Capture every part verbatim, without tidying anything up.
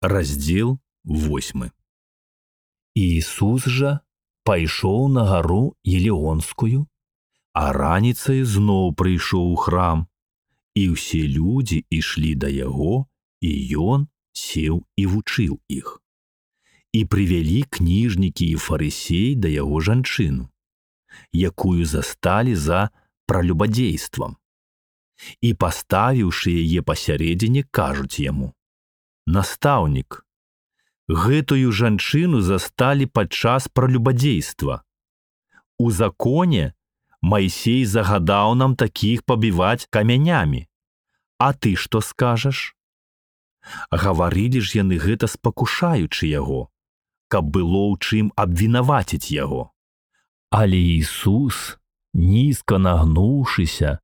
Раздзел восьмы. Иисус жа пайшоў на гару Елеонскую, а раніцай зноў прыйшоў у храм, і ўсе людзі ішлі да яго, і ён сеў і вучыў іх. І прывялі кніжнікі і фарысеі да яго жанчыну, якую засталі за пралюбадзействам. І паставіўшы яе пасярэдзіне, кажуць яму: «Настаўнік, гэтую жанчыну засталі падчас пралюбадзейства. У законе Майсей загадаў нам такіх пабіваць камянямі. А ты што скажаш?» Гаварылі ж яны гэта спакушаючы яго, каб было ў чым абвінаваціць яго. Але Ісус, нізка нагнуўшыся,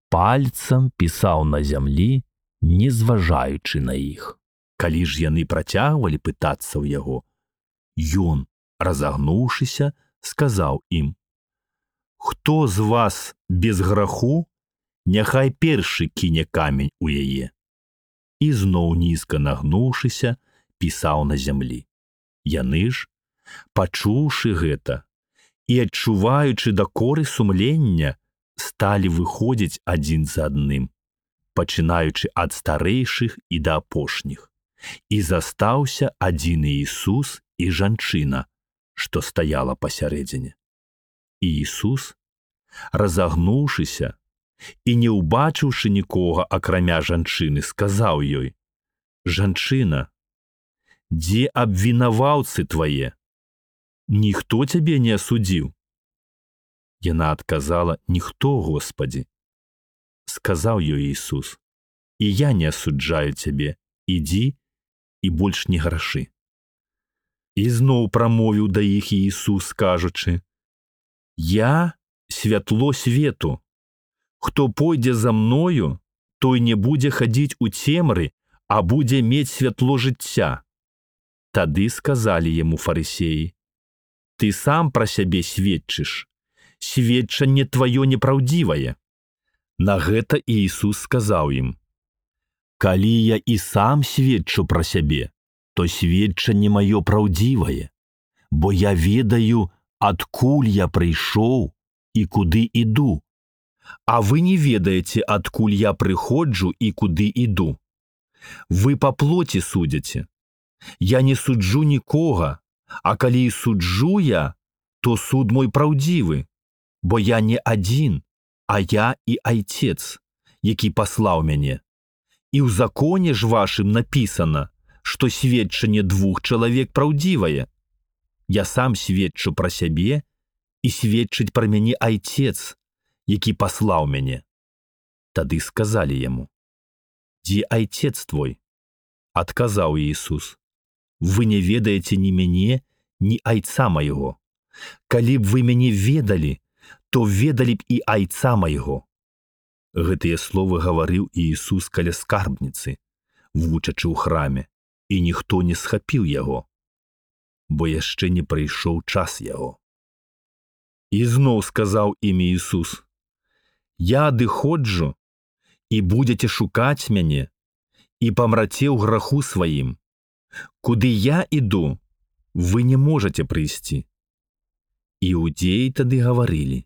пальцам пісаў на зямлі, не зважаючы на іх. Калі ж яны працягвалі пытацца ў яго, ён, разагнуўшыся, сказаў ім: «Хто з вас без граху, няхай першы кіне камень у яе». І зноў нізка нагнуўшыся, пісаў на зямлі. Яны ж, пачуўшы гэта і адчуваючы дакоры сумлення, сталі выходзіць адзін за адным, пачынаючы ад старэйшых і да апошніх. І застаўся адзін Іісус і жанчына, што стаяла пасярэдзіне. І Іісус, разагнуўшыся і не ўбачыўшы нікога, акрамя жанчыны, сказаў ёй: «Жанчына, дзе абвінаваўцы твае? Ніхто цябе не асудзіў?» Яна адказала: «Ніхто, Господі». Сказаў ёй Ісус: «І я не асуджаю цябе, ідзі і больш не грашы». І зноў прамовіў да іх Ісус, кажучы: «Я святло свету. Хто пойдзе за мною, той не будзе хадзіць у цемры, а будзе мець святло жыцця». Тады сказалі яму фарысеі: «Ты сам пра сябе сведчыш, сведчанне тваё непраўдзівае». На гэта Ісус сказаў ім: «Калі я і сам сведчу пра сябе, то сведчанне маё праўдзівае, бо я ведаю, адкуль я прыйшоў і куды іду. А вы не ведаеце, адкуль я прыходжу і куды іду. Вы па плоці судзяце. Я не суджу нікога, а калі і суджу я, то суд мой праўдзівы, бо я не адзін, а я і Айцец, які паслаў мяне. І ў законе ж вашым напісана, што сведчанне двух чалавек праўдзівае. Я сам сведчу пра сябе, і сведчыць пра мяне Айцец, які паслаў мяне». Тады сказалі яму: «Дзе Айцец твой?» Адказаў Ісус: «Вы не ведаеце ні мяне, ні Айца майго. Калі б вы мяне ведалі, то ведалі б і Айца майго». Гэтыя словы гаварыў Ісус каля скарбніцы, вучачы ў храме, і ніхто не схапіў яго, бо яшчэ не прыйшоў час яго. І зноў сказаў ім Ісус: «Я адыходжу, і будзеце шукаць мяне, і памраце ў граху сваім. Куды я іду, вы не можаце прыйсці». Іудзеі тады гаварылі: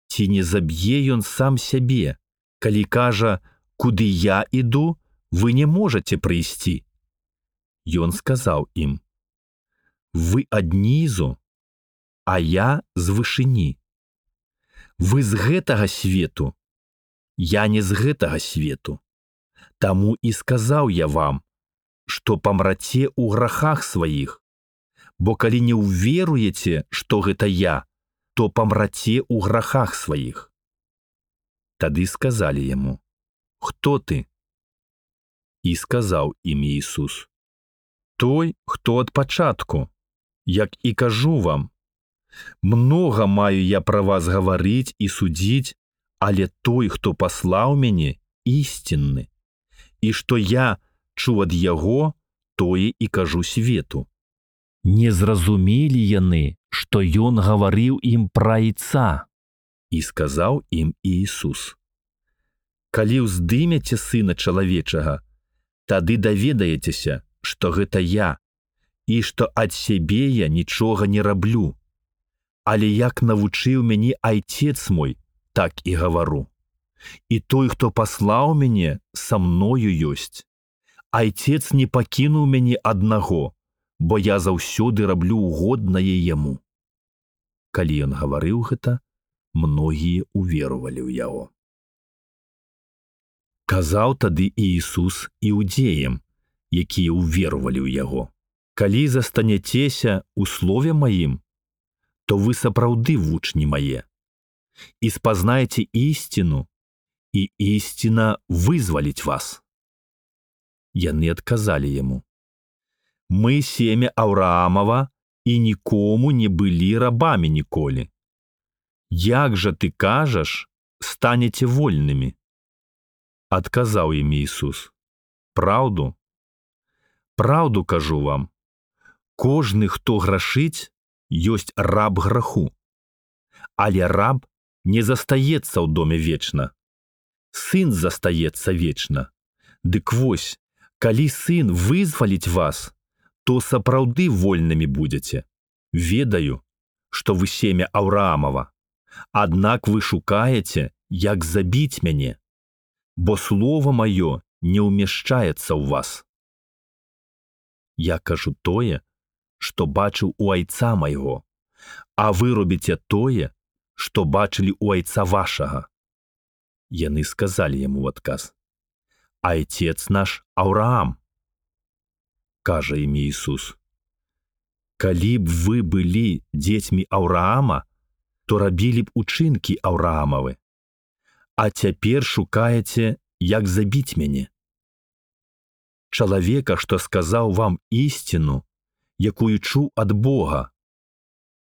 «Ці не заб'е ён сам сябе, калі кажа: куды я іду, вы не можаце прыйсці?» Ён сказаў ім: «Вы аднізу, а я з вышыні. Вы з гэтага свету, я не з гэтага свету. Таму і сказаў я вам, што памраце ў грахах сваіх, бо калі не ўверуеце, што гэта я, то памраце ў грахах сваіх». Тады сказалі яму: «Хто ты?» І сказаў ім Ісус: «Той, хто ад пачатку, як і кажу вам. Многа маю я пра вас гаварыць і судзіць, але той, хто паслаў мяне, ісцінны, і што я чуў ад яго, тое і кажу свету». Не зразумелі яны, што ён гаварыў ім пра Айца. І сказаў ім Ісус: «Калі ўздымеце Сына чалавечага, тады даведаецеся, што гэта я, і што ад сябе я нічога не раблю. Але як навучыў мяне айцец мой, так і гавару. І той, хто паслаў мяне, са мною ёсць. Айцец не пакінуў мяне аднаго, бо я заўсёды раблю угоднае яму. Калі ён гаварыў гэта, многія уверовалі ў яго. Казаў тады Іісус іудеям, якія уверовалі ў яго: калі застанецеся ў слове маім, то вы сапраўды вучні мае, і спазнаеце ісціну, і ісціна вызваліць вас. Яны адказалі яму: мы семя Аўраамава і нікому не былі рабамі ніколі. Як жа ты кажаш, станеце вольнымі? Адказаў ім Іісус: праўду, праўду кажу вам, кожны, хто грашыць, ёсць раб граху. Але раб не застаецца ў доме вечна. Сын застаецца вечна. Дык вось, калі сын вызваліць вас, то сапраўды вольнымі будзеце. Ведаю, што вы семя Аўраамава, аднак вы шукаеце, як забіць мяне, бо слова маё не ўмяшчаецца ў вас. Я кажу тое, што бачыў у айца майго, а вы робіце тое, што бачылі у айца вашага. Яны сказалі яму ў адказ: айцец наш Аўраам. Кажа ім Іісус: калі б вы былі дзецьмі Аўраама, то рабілі б учынкі Аўраамавы, а цяпер шукаеце, як забіць мяне. Чалавека, што сказаў вам ісціну, якую чуў ад Бога,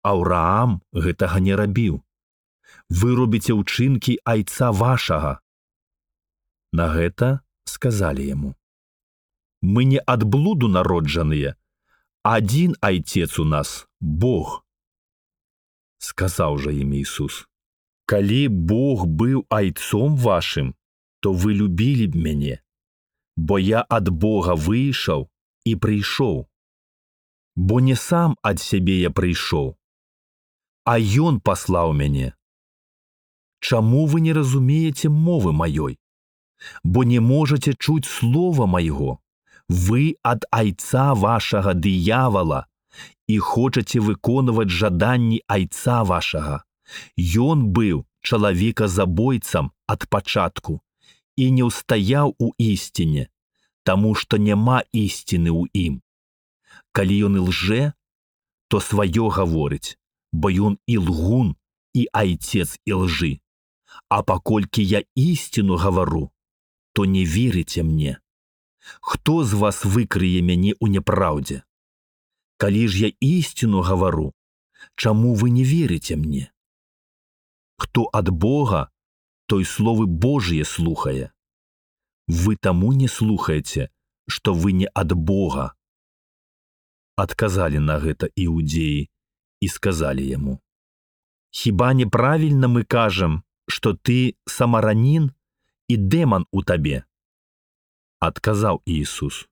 Аўраам гэтага не рабіў. Вы робіце ўчынкі айца вашага. На гэта сказалі яму: мы не ад блуду народжаныя, адзін айцец у нас — Бог. Сказаў жа ім Іісус: калі Бог быў айцом вашым, то вы любілі б мяне, бо я ад Бога выйшаў і прыйшоў. Бо не сам ад сябе я прыйшоў, а ён паслаў мяне. Чаму вы не разумееце мовы маёй? Бо не можаце чуць слова майго. Вы ад айца вашага дыявала і хочаце выконваць жаданні айца вашага. Ён быў чалавеказабойцам ад пачатку і не ўстаяў у ісціне, таму што няма ісціны ў ім. Калі ён і лжэ, то сваё гаворыць, бо ён і лгун, і айцец і лжы. А паколькі я ісціну гавару, то не верыце мне. Хто з вас выкрые мяне ў няпраўдзе? Калі ж я ісціну гавару, чаму вы не верыце мне? Хто ад Бога, той словы Божые слухае. Вы таму не слухаеце, што вы не ад Бога. Адказалі на гэта іудеі і сказалі яму: хіба неправільна мы кажам, што ты самаранін і дэман у табе? Адказаў Іісус: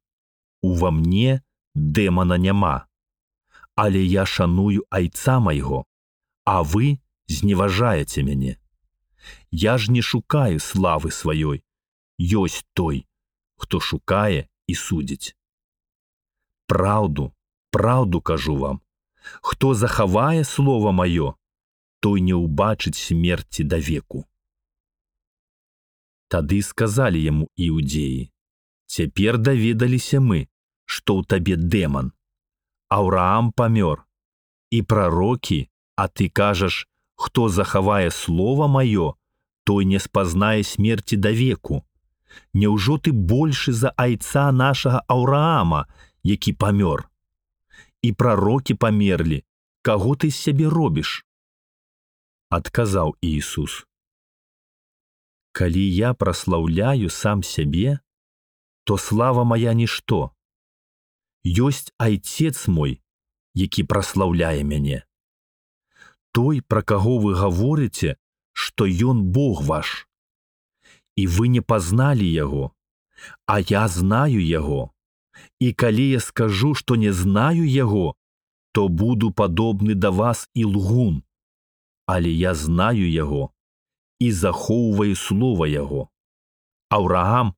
ува мне дэмана няма, але я шаную айца майго, а вы зневажаеце мяне. Я ж не шукаю славы сваёй, ёсць той, хто шукае і судзіць. Праўду, праўду кажу вам, хто захавае слова маё, той не ўбачыць смерці да веку. Тады сказалі яму іудеі: цяпер даведаліся мы, што ў табе дэман. Аўраам памёр, і прарокі, а ты кажаш, хто захавае слова маё, той не спазнае смерці да веку. Няўжо ты большы за айца нашага Аўраама, які памёр? І прарокі памерлі, каго ты з сябе робіш? Адказаў Іісус: калі я праслаўляю сам сябе, то слава мая нішто. Ёсць айцец мой, які праслаўляе мяне. Той, пра каго вы гаворыце, што ён Бог ваш. І вы не пазналі яго, а я знаю яго, І калі я скажу, што не знаю яго, то буду падобны да вас і лгун. Але я знаю яго і захоўваю слова яго. Аўраам,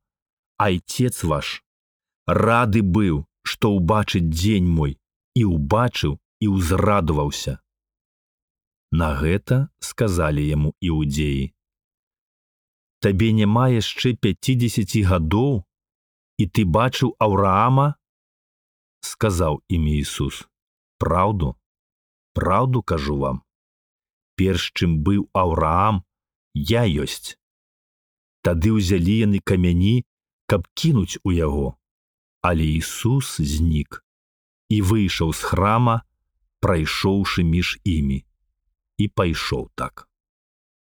айцец ваш, рады быў, што ўбачыць дзень мой, і ўбачыў і ўзрадаваўся. На гэта сказалі яму іудзеі: табе няма яшчэ пяцідзесяці гадоў, і ты бачыў Аўраама? Сказаў ім Ісус: праўду, праўду кажу вам, перш чым быў Аўраам, я ёсць. Тады ўзялі яны камяні, каб кінуць у яго. Але Ісус знік і выйшаў з храма, прайшоўшы між імі, і пайшоў так.